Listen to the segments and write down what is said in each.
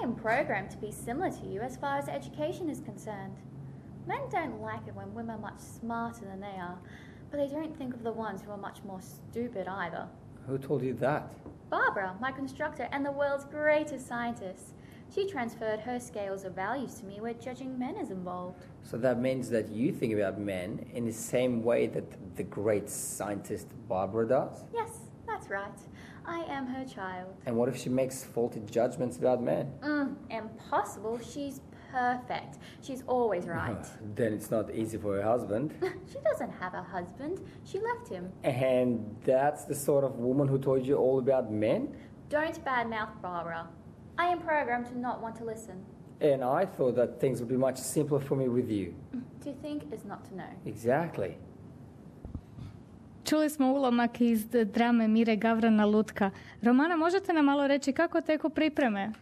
am programmed to be similar to you as far as education is concerned. Men don't like it when women are much smarter than they are, but they don't think of the ones who are much more stupid either. Who told you that? Barbara, my constructor and the world's greatest scientist. She transferred her scales of values to me where judging men is involved. So that means that you think about men in the same way that the great scientist Barbara does? Yes, that's right. I am her child. And what if she makes faulty judgments about men? Impossible. She's perfect. She's always right. Then it's not easy for her husband. She doesn't have a husband. She left him. And that's the sort of woman who told you all about men? Don't badmouth Barbara. I am programmed to not want to listen. And I thought that things would be much simpler for me with you. To think is not to know. Exactly. Čuli smo ulomak iz drame Mire Gavrana Lutka. Romana, možete nam malo reći kako teku pripreme?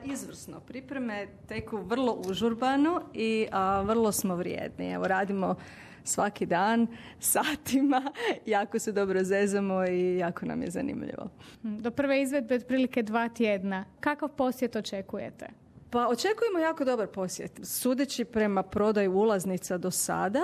Izvrsno. Pripreme teku vrlo užurbano i vrlo smo vrijedni. Evo, radimo svaki dan, satima, jako se dobro zezamo i jako nam je zanimljivo. Do prve izvedbe otprilike 2 tjedna. Kakav posjet očekujete? Pa očekujemo jako dobar posjet. Sudeći prema prodaju ulaznica do sada,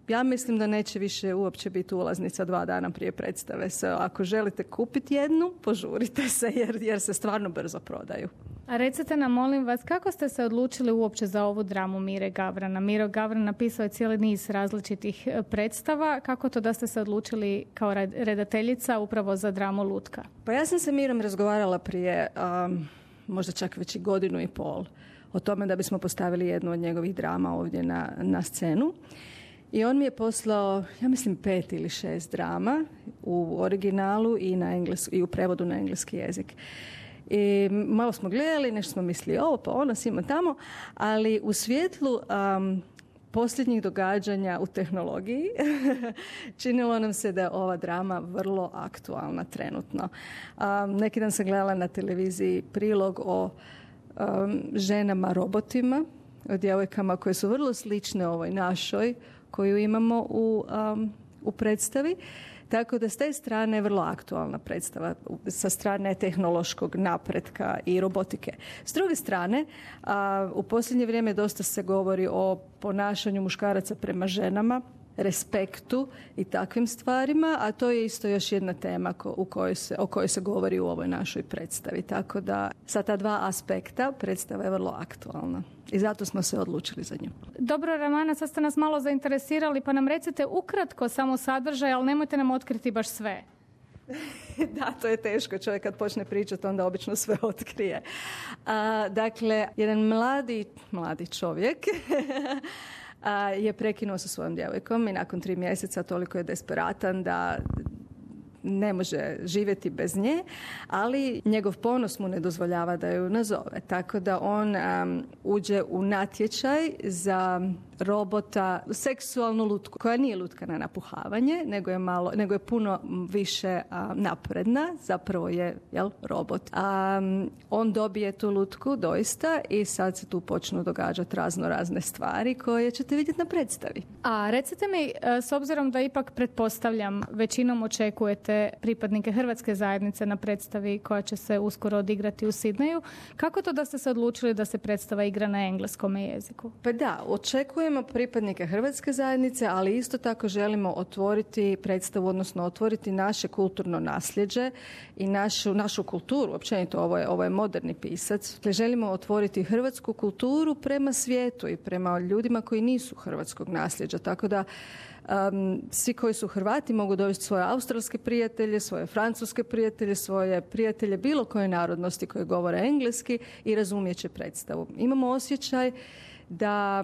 ja mislim da neće više uopće biti ulaznica 2 dana prije predstave. Ako želite kupiti jednu, požurite se jer se stvarno brzo prodaju. A recite nam, molim vas, kako ste se odlučili uopće za ovu dramu Mire Gavrana? Miro Gavran napisao je cijeli niz različitih predstava. Kako to da ste se odlučili kao redateljica upravo za dramu Lutka? Pa ja sam sa Mirom razgovarala prije možda čak već i 1.5 godina o tome da bismo postavili jednu od njegovih drama ovdje na scenu. I on mi je poslao, ja mislim 5 ili 6 drama u originalu i u prevodu na engleski jezik. I malo smo gledali, nešto smo mislili ovo pa ono, svima tamo, ali u svjetlu posljednjih događanja u tehnologiji činilo nam se da je ova drama vrlo aktualna trenutno. Neki dan sam gledala na televiziji prilog o ženama robotima, o djevojkama koje su vrlo slične ovoj našoj koju imamo u predstavi. Tako da s te strane je vrlo aktualna predstava sa strane tehnološkog napretka i robotike. S druge strane, u posljednje vrijeme dosta se govori o ponašanju muškaraca prema ženama, respektu i takvim stvarima, a to je isto još jedna tema o kojoj se govori u ovoj našoj predstavi. Tako da sa ta 2 aspekta predstava je vrlo aktualna i zato smo se odlučili za nju. Dobro, Romana, sad ste nas malo zainteresirali, pa nam recite ukratko samo sadržaj, ali nemojte nam otkriti baš sve. Da, to je teško. Čovjek kad počne pričati, onda obično sve otkrije. Dakle, jedan mladi čovjek je prekinuo sa svojom djevojkom i nakon 3 mjeseca toliko je desperatan da ne može živjeti bez nje, ali njegov ponos mu ne dozvoljava da ju nazove. Tako da on uđe u natječaj za robota, seksualnu lutku, koja nije lutka na napuhavanje, nego je puno više napredna, zapravo je robot. On dobije tu lutku doista i sad se tu počnu događati razne stvari koje ćete vidjeti na predstavi. A recite mi, s obzirom da ipak pretpostavljam većinom očekujete pripadnike hrvatske zajednice na predstavi koja će se uskoro odigrati u Sidneju, kako to da ste se odlučili da se predstava igra na engleskom jeziku? Pa da, očekujemo pripadnike hrvatske zajednice, ali isto tako želimo otvoriti predstavu, odnosno otvoriti naše kulturno nasljeđe i našu kulturu. Općenito, ovo je moderni pisac. Želimo otvoriti hrvatsku kulturu prema svijetu i prema ljudima koji nisu hrvatskog nasljeđa. Tako da svi koji su Hrvati mogu dovesti svoje australske prijatelje, svoje francuske prijatelje, svoje prijatelje bilo koje narodnosti koje govore engleski i razumijet će predstavu. Imamo osjećaj da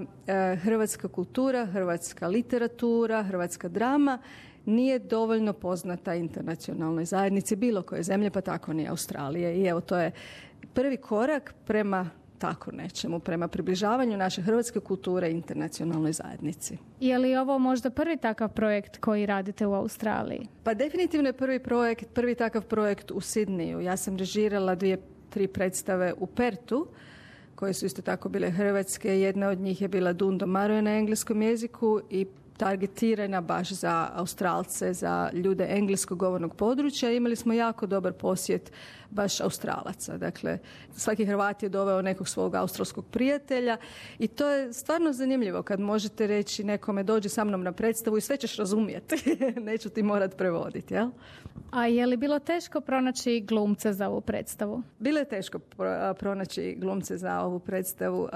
hrvatska kultura, hrvatska literatura, hrvatska drama nije dovoljno poznata internacionalnoj zajednici bilo koje zemlje, pa tako ni Australije. I evo, to je prvi korak prema tako nečemu, prema približavanju naše hrvatske kulture internacionalnoj zajednici. Je li ovo možda prvi takav projekt koji radite u Australiji? Pa definitivno je prvi takav projekt u Sidneju. Ja sam režirala 2-3 predstave u Pertu, koje su isto tako bile hrvatske. Jedna od njih je bila Dundo Maroje na engleskom jeziku i targetirana baš za Australce, za ljude engleskog govornog područja. Imali smo jako dobar posjet baš Australaca. Dakle, svaki Hrvat je doveo nekog svog australskog prijatelja i to je stvarno zanimljivo kad možete reći nekome dođi sa mnom na predstavu i sve ćeš razumjeti. Neću ti morat prevoditi, jel? A je li bilo teško pronaći glumce za ovu predstavu? Bilo je teško pronaći glumce za ovu predstavu.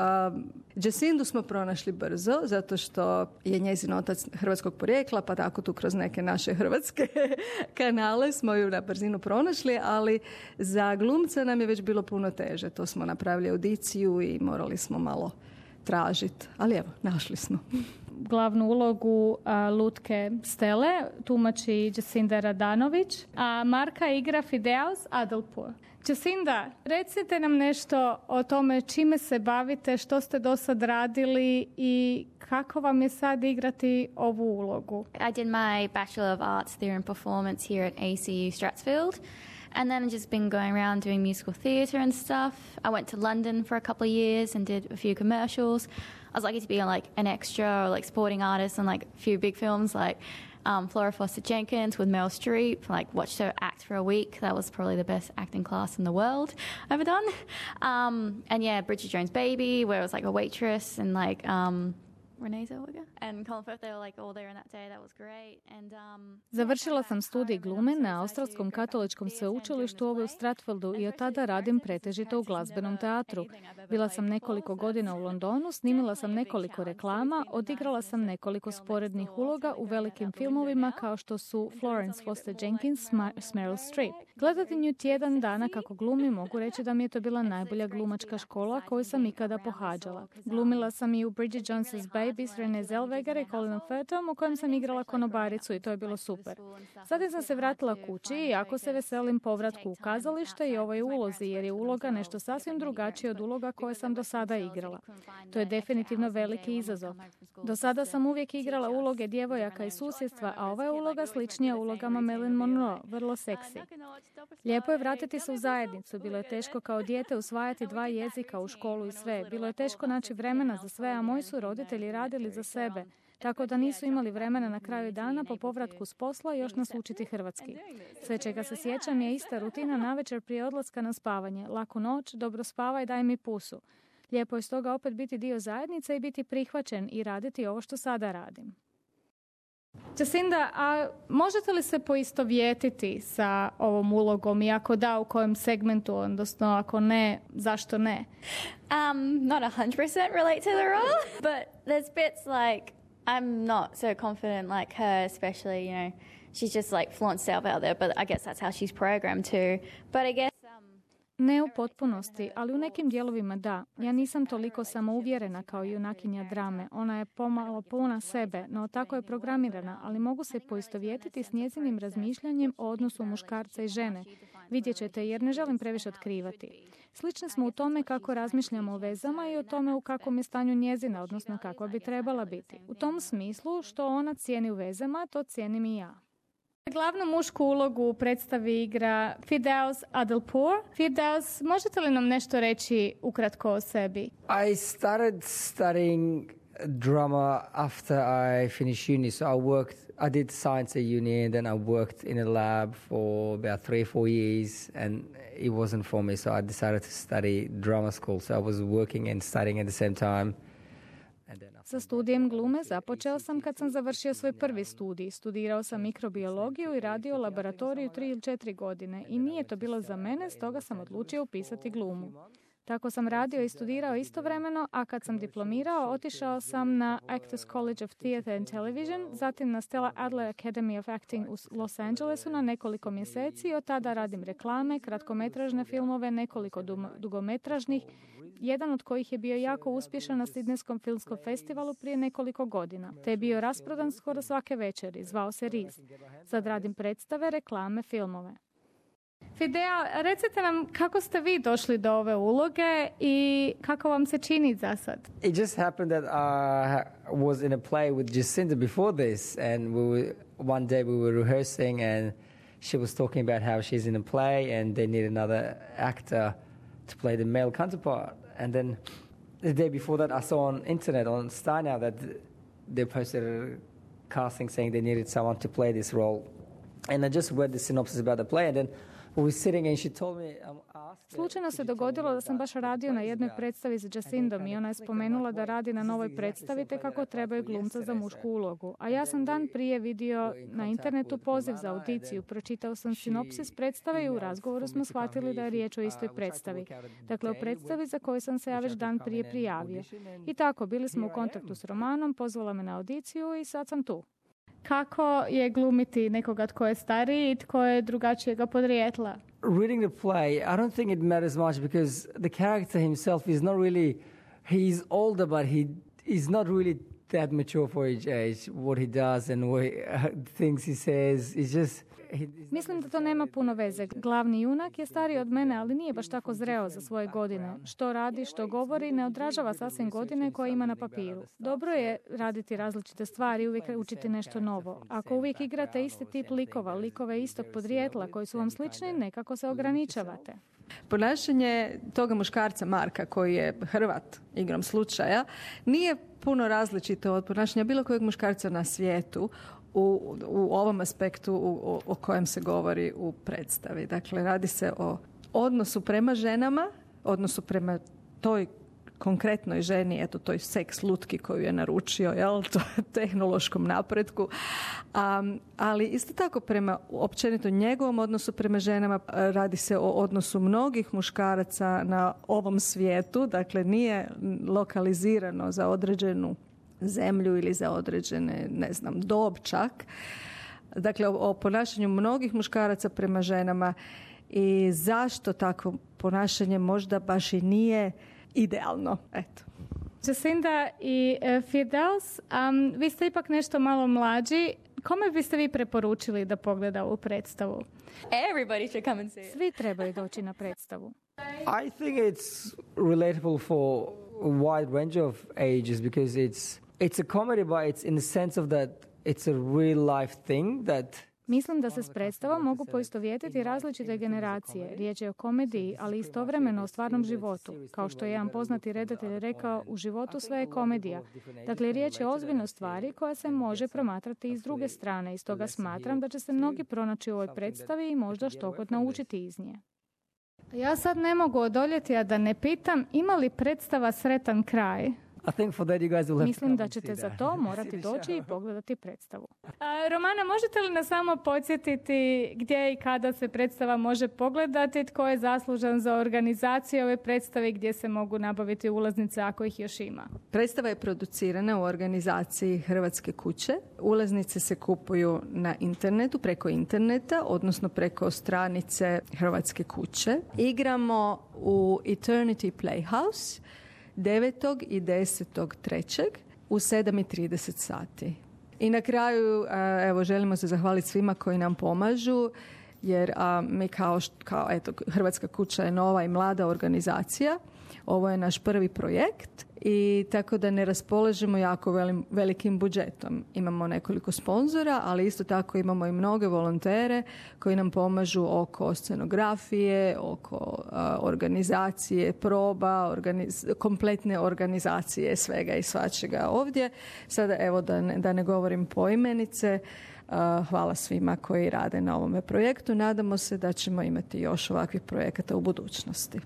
Jacindu smo pronašli brzo, zato što je njezin otac hrvatskog porijekla, pa tako tu kroz neke naše hrvatske kanale smo ju na brzinu pronašli, ali za glumca nam je već bilo puno teže. To smo napravili audiciju i morali smo malo tražiti. Ali evo, našli smo. Glavnu ulogu Lutke Stele tumači Jacinda Radanović, a Marka igra Fideus Adalpour. Jacinda, recite nam nešto o tome čime se bavite, što ste do sad radili i kako vam je sad igrati ovu ulogu? I did my Bachelor of Arts Theatre and Performance here at ACU Stratsfield. And then I've just been going around doing musical theatre and stuff. I went to London for a couple of years and did a few commercials. I was lucky to be on like an extra or like supporting artist on like a few big films like Flora Foster Jenkins with Meryl Streep. Like watched her act for a week. That was probably the best acting class in the world I've ever done. And yeah, Bridget Jones' Baby, where I was like a waitress and like Renee Zellweger and Colin Firth, they were like all there in that day. That was great. And Završila sam studij glume na Australskom katoličkom sveučilištu u Stratfieldu i od tada radim pretežito u glazbenom teatru. Bila sam nekoliko godina u Londonu, snimila sam nekoliko reklama, odigrala sam nekoliko sporednih uloga u velikim filmovima kao što su Florence Foster Jenkins s Meryl Streep. Gledati nju tjedan dana kako glumi, mogu reći da mi je to bila najbolja glumačka škola koju sam ikada pohađala. Glumila sam i u Bridget Jones's Baby s Renee Zellweger i Colin Firthom u kojem sam igrala konobaricu i to je bilo super. Zatim sam se vratila kući i jako se veselim povratku u kazalište i ovoj ulozi jer je uloga nešto sasvim drugačije od uloga koje sam do sada igrala. To je definitivno veliki izazov. Do sada sam uvijek igrala uloge djevojaka iz susjedstva, a ova je uloga sličnija ulogama Marilyn Monroe, vrlo seksi. Lijepo je vratiti se u zajednicu. Bilo je teško kao dijete usvajati 2 jezika u školu i sve. Bilo je teško naći vremena za sve, a moji su roditelji radili za sebe. Tako da nisu imali vremena na kraju dana po povratku s posla još nas učiti hrvatski. Sve čega se sjećam je ista rutina navečer prije odlaska na spavanje. Laku noć, dobro spavaj, daj mi pusu. Lijepo je stoga opet biti dio zajednice i biti prihvaćen i raditi ovo što sada radim. Jacinda, a možete li se poistovjetiti sa ovom ulogom i ako da, u kojem segmentu, odnosno ako ne, zašto ne? Not 100% relate to the role, but there's bits like I'm not so confident like her, especially, you know, she's just like flaunts herself out there, but I guess that's how she's programmed too. But I guess Ne u potpunosti, ali u nekim dijelovima da. Ja nisam toliko samouvjerena kao junakinja drame. Ona je pomalo puna sebe, no tako je programirana, ali mogu se poistovjetiti s njezinim razmišljanjem o odnosu muškarca i žene. Vidjet ćete, jer ne želim previše otkrivati. Slični smo u tome kako razmišljamo o vezama i o tome u kakvom je stanju njezina, odnosno kakva bi trebala biti. U tom smislu, što ona cijeni u vezama, to cijenim i ja. Glavnu mušku ulogu u predstavi igra Fideus Adalpour. Fideus, možete li nam nešto reći ukratko o sebi? I started studying drama after I finished uni. So I did science at uni and then I worked in a lab for about 3 or 4 years and it wasn't for me. So I decided to study drama school. So I was working and studying at the same time. Sa studijem glume započeo sam kad sam završio svoj prvi studij. Studirao sam mikrobiologiju i radio u laboratoriju 3 ili 4 godine i nije to bilo za mene, stoga sam odlučio upisati glumu. Tako sam radio i studirao istovremeno, a kad sam diplomirao, otišao sam na Actors College of Theatre and Television, zatim na Stella Adler Academy of Acting u Los Angelesu na nekoliko mjeseci i od tada radim reklame, kratkometražne filmove, nekoliko dugometražnih, jedan od kojih je bio jako uspješan na Sidnejskom filmskom festivalu prije nekoliko godina, te je bio rasprodan skoro svake večeri, zvao se Riz. Sad radim predstave, reklame, filmove. Fidea, recite nam kako ste vi došli do ove uloge i kako vam se čini za sad? It just happened that I was in a play with Jacinda before this and one day we were rehearsing and she was talking about how she's in a play and they need another actor to play the male counterpart. And then the day before that I saw on internet, on Star Now, that they posted casting saying they needed someone to play this role. And I just read the synopsis about the play, and then we were sitting and she told me, Slučajno se dogodilo da sam baš radio na jednoj predstavi s Jacindom i ona je spomenula da radi na novoj predstavi te kako trebaju glumca za mušku ulogu. A ja sam dan prije vidio na internetu poziv za audiciju, pročitao sam sinopsis predstave i u razgovoru smo shvatili da je riječ o istoj predstavi. Dakle, o predstavi za koju sam se ja već dan prije prijavio. I tako, bili smo u kontaktu s Romanom, pozvala me na audiciju i sad sam tu. Kako je glumiti nekoga tko je stariji i tko je drugačijega podrijetla? Reading the play, I don't think it matters much because the character himself is not really, he's older, but he is not really that mature for his age. What he does and what things he says, it's just... Mislim da to nema puno veze. Glavni junak je stariji od mene, ali nije baš tako zreo za svoje godine. Što radi, što govori, ne odražava sasvim godine koje ima na papiru. Dobro je raditi različite stvari i uvijek učiti nešto novo. Ako uvijek igrate isti tip likova, likove istog podrijetla koji su vam slični, nekako se ograničavate. Ponašanje toga muškarca Marka, koji je Hrvat igrom slučaja, nije puno različito od ponašanja bilo kojeg muškarca na svijetu u ovom aspektu o kojem se govori u predstavi. Dakle, radi se o odnosu prema ženama, odnosu prema toj konkretnoj ženi, eto toj seks lutki koju je naručio, jel, to tehnološkom napretku, ali isto tako prema općenito njegovom odnosu prema ženama. Radi se o odnosu mnogih muškaraca na ovom svijetu, dakle nije lokalizirano za određenu zemlju ili za određene, ne znam, dob čak. Dakle, o ponašanju mnogih muškaraca prema ženama i zašto takvo ponašanje možda baš i nije idealno. Eto. Jacinda i Firdaus, vi ste ipak nešto malo mlađi. Kome biste vi preporučili da pogleda ovu predstavu? Everybody should come and see it. Svi trebaju doći na predstavu. I think it's relatable for a wide range of ages because it's a comedy, but it's in the sense of that it's a real life thing that... Mislim da se s predstavom mogu poistovjetiti različite generacije. Riječ je o komediji, ali istovremeno o stvarnom životu. Kao što je jedan poznati redatelj rekao, u životu sve je komedija. Dakle, riječ je o ozbiljnoj stvari koja se može promatrati i s druge strane. I stoga smatram da će se mnogi pronaći u ovoj predstavi i možda štogod naučiti iz nje. Ja sad ne mogu odoljeti, a da ne pitam, ima li predstava sretan kraj? Mislim da ćete za to morati doći i pogledati predstavu. Romana, možete li nas samo podsjetiti gdje i kada se predstava može pogledati, tko je zaslužan za organizaciju ove predstave, gdje se mogu nabaviti ulaznice ako ih još ima? Predstava je producirana u organizaciji Hrvatske kuće. Ulaznice se kupuju na internetu, preko interneta, odnosno preko stranice Hrvatske kuće. Igramo u Eternity Playhouse 9. i 10.3. u 7:30 sati. I na kraju, evo, želimo se zahvaliti svima koji nam pomažu, jer mi kao eto, Hrvatska kuća je nova i mlada organizacija. Ovo je naš prvi projekt i tako da ne raspolažemo jako velikim budžetom. Imamo nekoliko sponzora, ali isto tako imamo i mnoge volontere koji nam pomažu oko scenografije, oko organizacije, proba, kompletne organizacije svega i svačega ovdje. Sada evo da ne govorim poimenice. Hvala svima koji rade na ovome projektu. Nadamo se da ćemo imati još ovakvih projekata u budućnosti.